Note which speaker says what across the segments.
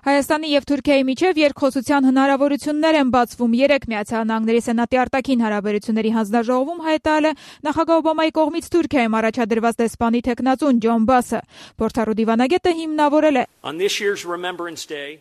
Speaker 1: Հայաստանի և Թուրքիայի միջև երկխոսության հնարավորություններ են բացվում։ Երեկ Միացյալ Նահանգների Սենատի արտաքին հարաբերությունների հանձնաժողովում հայտարարել է նախագահ Օբամայի կողմից Թուրքիայում առաջադրված դեսպանի թեկնածուն Ջոն Բասը։ Փորձառու դիվանագետը հիմնավորել է.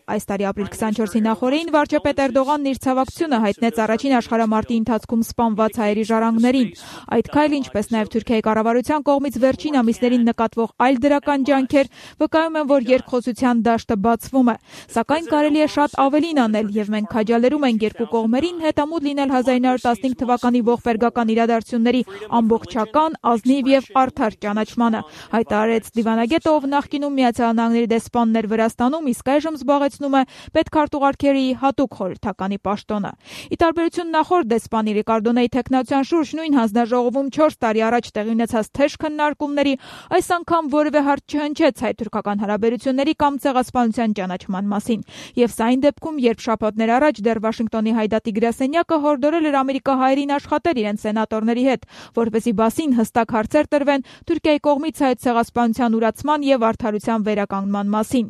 Speaker 1: Այս տարի ապրիլ 24-ի նախօրեին վարչապետ Էրդողանն իր ցավակցությունը հայտնեց առաջին աշխարհամարտի ընթացքում սպանված հայերի ժառանգներին։ Այդ քայլը, ինչպես նաև Թուրքիայի կառավարության կողմից վերջին ամիսներին նկատվող այլ դրական ջանքեր վկայում են, որ երկխոսության դաշտը բացվում է։ Սակայն կարելի է շատ ավելին անել, եւ մենք քաջալերում ենք երկու կողմերին հետամուտ լինել 1915 թվականի ողբերգական իրադարձությունների ամբողջական, ազնիվ եւ արդար ճանաչմանը, հայտարարեց դիվանագետը, ով նախկինում Միացյալ Նահանգների դեսպանն էր Վրաստանում, իսկ այժմ զբաղեցնում է պետքարտուղարքերի հատուկ խորհրդականի պաշտոնը։ Ի տարբերություն նախորդ դեսպանի Ռիկարդոնեի թեկնածության շուրջ նույն հանձնաժողովում 4 տարի առաջ տեղի ունեցած թեժ քննարկումների այս անգամ որևէ հարց չհնչեց հայ-թուրքական հարաբերությունների կամ ցեղասպանության ճանաչման մասին։ Եվ սա այն դեպքում, երբ շաբաթներ առաջ դեռ Վաշինգտոնի հայդատի գրասենյակը հորդորել էր ամերիկահայերին աշխատել իրենց սենատորների հետ, որպեսզի բասին հստակ հարցեր տրվեն Թուրքիայի կողմից հայ ցեղասպանության ուրացման եւ արդարության վերականգնման մասին։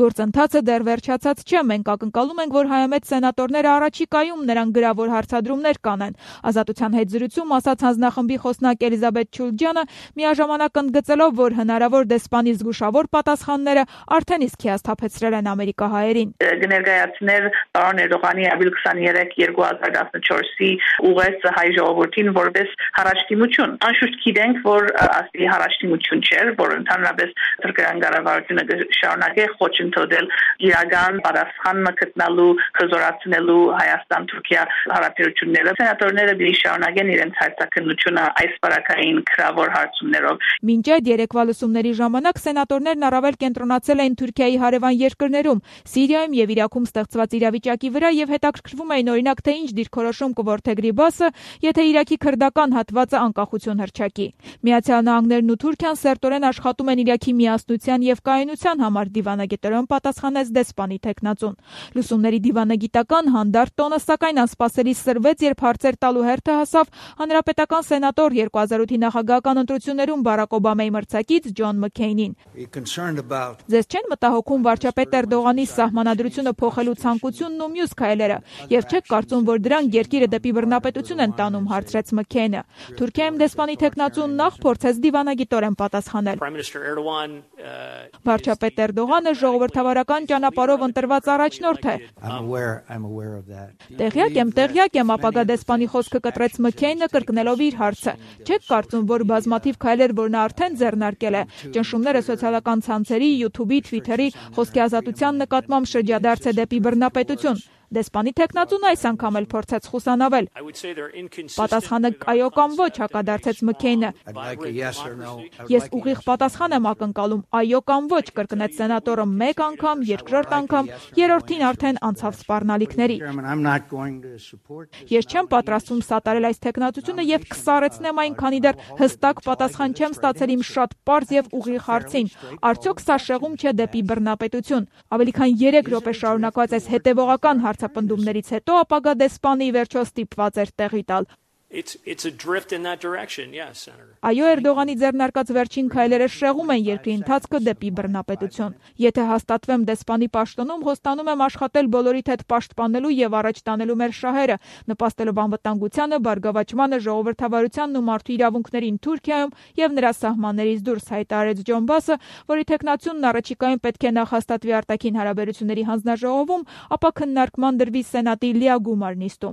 Speaker 1: Գործընթացը դեռ վերջացած չէ, մենք ակնկալում ենք, որ հայամետ սենատորները առաջիկայում նրան գրավոր հարցադրումներ կանեն։ Ազատության հետ զրույցում ասաց հանձնախմբի խոսնակ Էլիզաբեթ Չուլջյանը, միաժամանակ ընդգծելով, որ հնարավոր դեսպանի զգուշավոր պատասխանները արդեն իսկ հիասթափեցրել են ամերիկահայերին։
Speaker 2: Կներկայացներ պարոն Էրդողանի ապրիլ 23, 2014-ի ուղերձը հայ ժողովրդին որպես հառաջդիմություն։ Անշուշտ գիտենք, որ ասի հառաջդիմություն չէր, որ ընդհանրապես թուրքական կառավարությունը շարունակե խոչընդոտել իրական պատասխանը գտնելու, խզորացնելու Հայաստան-Թուրքիա հարաբերությունները։ Սենատորները դի շարունակեն իրենց հայտարարությունը այս բարակային քրավոր հարցումներով։
Speaker 1: Մինչ այդ երեկվա լսումների ժամանակ սենատորներն առավել կենտրոնացել էին Թուրքիայի հարևան երկրներում, Սիրիայում եւ Իրաքում ստեղծված իրավիճակի վրա եւ հետաքրքրվում էին օրինակ թե ինչ դիրքորոշում կորդեգրի Բասը, եթե Իրաքի քրդական հատվածը անկախություն հռչակի։ Միացյալ Նահանգներն ու Թուրքիան սերտորեն աշխատում են Իրաքի միասնության եւ կայունության համար, դիվանագետորեն պատասխանեց դեսպանի թեկնածուն։ Լուսումների դիվանագիտական հանդարտ տոնը սակայն անսպասելի սրվեց, երբ հարցեր տալու հերթը հասավ հանրապետական սենատոր 2008-ի նախագահական ընտրություններում Բարակ Օբամայի մրցակից Ջոն Մքեյնին։ Ձեզ չեն մտահոգում վարչապետ Էրդողանի սահմանադրությունը փոխելու ցանկությունն ու մյուս քայլերը, եւ չեք կարծում, որ դրանք երկիրը դեպի բռնապետություն են տանում, հարցրեց Մքեյնը։ Թուրքիայում դեսպանի թեկնածուն նախ փորձեց դիվանագիտորեն պատասխանել։ Վարչապետ Էրդողանը ժողովրդավարական ճանապարհով ընտրված առաջնորդ է։ Տեղյակ եմ, ապագա դեսպանի խոսքը կտրեց Մքեյնը, կրկնելով իր հարցը։ Չեք կարծում, որ բազմաթիվ քայլեր, որ նա արդեն ձեռնարկել է, ճնշումները սոցիալական ցանցերի, YouTube-ի, Twitter-ի, խոսքի ազատության նկատմամբ շրջադարձ է դեպի բռնապետություն։ Դեսպանի թեկնածուն այս անգամ էլ փորձեց խուսանավել։ Պատասխանը այո կամ ոչ, հակադարձեց Մքեյնը։ Ես ուղիղ պատասխան եմ ակնկալում, այո կամ ոչ, կրկնեց սենատորը մեկ անգամ, երկրորդ անգամ, երրորդին արդեն անցավ սպառնալիքների։ Ես չեմ պատրաստվում սատարել այս թեկնածությունը եւ կսառեցնեմ այն, քանի դեռ հստակ պատասխան չեմ ստացել իմ շատ պարզ եւ ուղիղ հարցին։ Արդյոք սա շեղում չէ դեպի բռնապետություն։ Ավելի քան 3 րոպե շարունակված այս հետևողական հարցապնդումներից հետո ապագա դեսպանը ի վերջո ստիպված էր տեղի տալ։ Այո, Էրդողանի ձեռնարկած վերջին քայլերը շեղում են երկրի ընթացքը դեպի բռնապետություն։ Եթե հաստատվեմ դեսպանի պաշտոնում, խոստանում եմ աշխատել բոլորիդ հետ պաշտպանելու եւ առաջ տանելու մեր շահերը, նպաստելով անվտանգությանը, բարգավաճմանը, ժողովրդավարությանն ու մարդու իրավունքներին Թուրքիայում եւ նրա սահմաններից դուրս, հայտարարեց Ջոն Բասը, որի թեկնածունն առաջիկայում պետք է նախ հաստատվի արտաքին հարաբերությունների հանձնաժողովում, ապա քննարկման դրվի սենատի լիագումար նիստում։